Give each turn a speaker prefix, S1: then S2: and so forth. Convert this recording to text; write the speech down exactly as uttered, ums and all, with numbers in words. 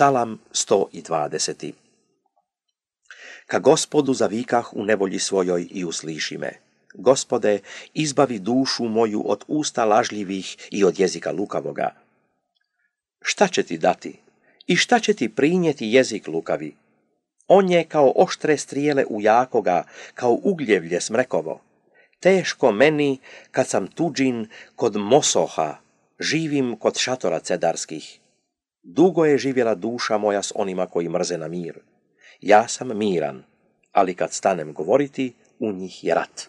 S1: Psalam sto dvadeset. Ka Gospodu zavikah u nevolji svojoj i usliši me. Gospode, izbavi dušu moju od usta lažljivih i od jezika lukavoga. Šta će ti dati? I šta će ti prinijeti jezik lukavi? On je kao oštre strijele u jakoga, kao ugljevlje smrekovo. Teško meni, kad sam tuđin kod Mosoha, živim kod šatora cedarskih. Dugo je živjela duša moja s onima koji mrze na mir. Ja sam miran, ali kad stanem govoriti, u njih je rat.